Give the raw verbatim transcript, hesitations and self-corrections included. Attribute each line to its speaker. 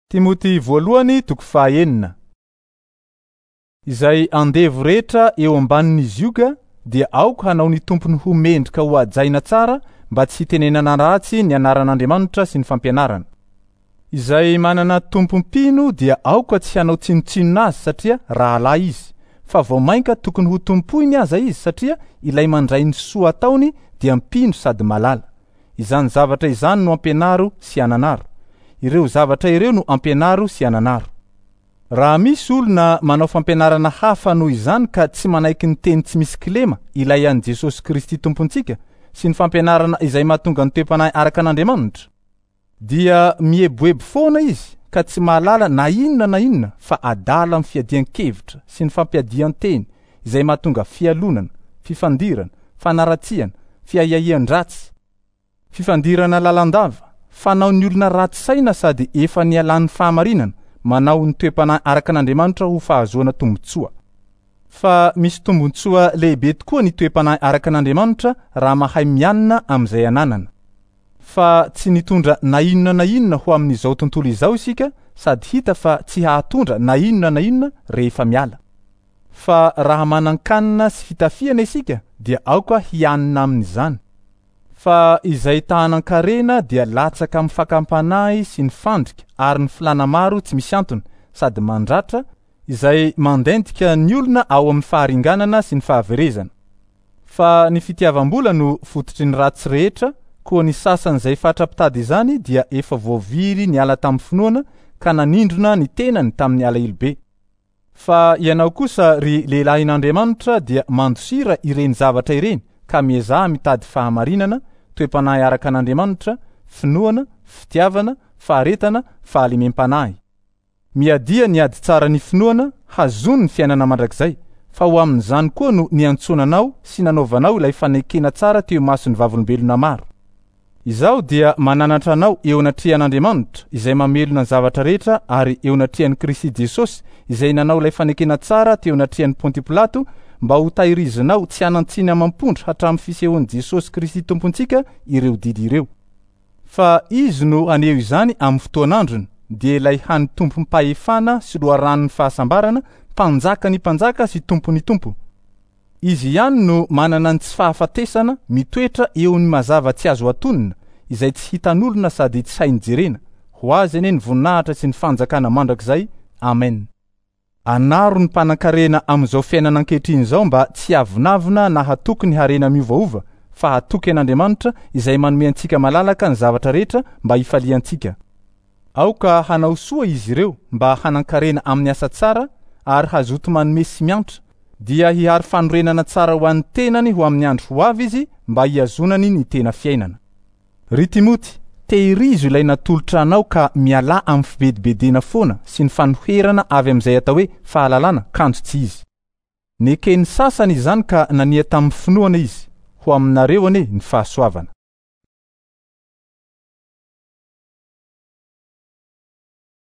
Speaker 1: Timoty voalohany toko fahaenina. Izay andevo rehetra eo ambanin'ny zioga dia aoka hanao ny tompony ho mendrika ho hajaina tsara mba tsy hitenenana ratsy ny anaran'Andriamanitra sy ny fampianarana. Izay manana tompom-pino dia aoka tsy hanao tsinontsinona azy satria rahalahy izy, fa vao mainka tokony ho tompoiny aza izy satria ilay mandray ny soa ataony dia mpino sady malala. Izany zavatra izany no ampianaro sy ananaro. Ireo zavatra ireo no ampianaro sy ananaro. Raha misy olona manao fampianarana hafa noho izany ka tsy manaiky ny teny tsy misy kilema ilay an'i Jesosy Kristy Tompontsika sy ny fampianarana izay mahatonga ny toe-panahy araka an'Andriamanitra, dia mieboebo foana izy ka tsy mahalala na inona na inona fa adala amin'ny fiadian-kevitra sy ny fampiadian-teny izay mahatonga fialonana, fifandirana, fanaratsiana, fiahiahian-dratsy, fifandirana lalandava, fanao ny olona ratsy saina sady efa nialan'ny fahamarinana, manao ny toe-panahy araka an'Andriamanitra ho fahazoana tombontsoa. Fa misy tombontsoa lehibe tokoa ny toe-panahy araka an'Andriamanitra raha mahay mianina amin'izay ananana. Fa tsy nitondra na inona na inona ho amin'izao tontolo izao isika sady hita fa tsy hahatondra na inona na inona rehefa miala. Fa raha manan-kanina sy fitafiana isika dia aoka hianina amin'izany. Fa izay ta-hanan-karena dia latsaka amin'ny fakam-panahy sy ny fandrika ary ny filàna maro tsy misy antony sady mandratra izay mandentika ny olona ao amin'ny faharinganana sy ny fahaverezana. Fa ny fitiavam-bola no fototry ny ratsy rehetra, koa ny sasany izay fatra-pitady izany dia efa voavily niala tamin'ny finoana ka nanindrona ny tenany tamin'ny alahelo be. Fa ianao kosa ry lehilahin'Andriamanitra dia mandosira ireny zavatra ireny ka miezaha mitady fahamarinana, toe-panahy araka an'Andriamanitra, finoana, fitiavana, faharetana, fahalemem-panahy. Miadia ny ady tsara ny finoana, hazony ny fiainana mandrakizay, fa ho amin'izany koa no niantsoana anao sy nanaovanao ilay fanekena tsara teo imason'ny vavolombelona maro. Izaho dia mananatra anao eo anatrehan'Andriamanitra izay mamelona ny zavatra rehetra ary eo anatrehan'i Kristy Jesosy izay nanao ilay fanekena tsara teo anatrehan'i Pontio Pilato mba ho tahirizinao tsy hanan-tsiny amam-pondro hatramin'ny fisehoan'i Jesosy Kristy Tompontsika ireo didy ireo. Fa izy no haneho izany amin'ny fotoan'androny, dia ilay hany tompom-pahefana sy loharanon'ny fahasambarana, mpanjaka ny mpanjaka sy tompon'ny tompo. Izy ihany no manana ny tsy fahafatesana mitoetra eo amin'ny mazava tsy azo atonina izay tsy hitan'olona sady tsy hainy jerena. Ho azy anie ny voninahitra sy ny fanjakana mandrakizay. Amen. Anaro ny mpanan-karena amin'izao fiainana ankehitriny izao mba tsy hiavonavona na hatoky ny harena miovaova, fa hatoky an'Andriamanitra izay manome antsika malalaka ny zavatra rehetra mba hifaliantsika. Aoka hanao soa izy ireo mba hanan-karena amin'ny asa tsara ary hazoto manome sy miantra, dia hihary fanorenana tsara ho an'ny tenany ho amin'ny andro ho avy izy mba hihazonany ny tena fiainana. Ry Timoty, tehirizo ilay natolotra anao ka mialà amin'ny fibedibedena foana sy ny fanoherana avy amin'izay atao hoe fahalalana kanjo tsy izy. Neken'ny sasany izany ka nania tamin'ny finoana izy. Ho aminareo anie ny fahasoavana.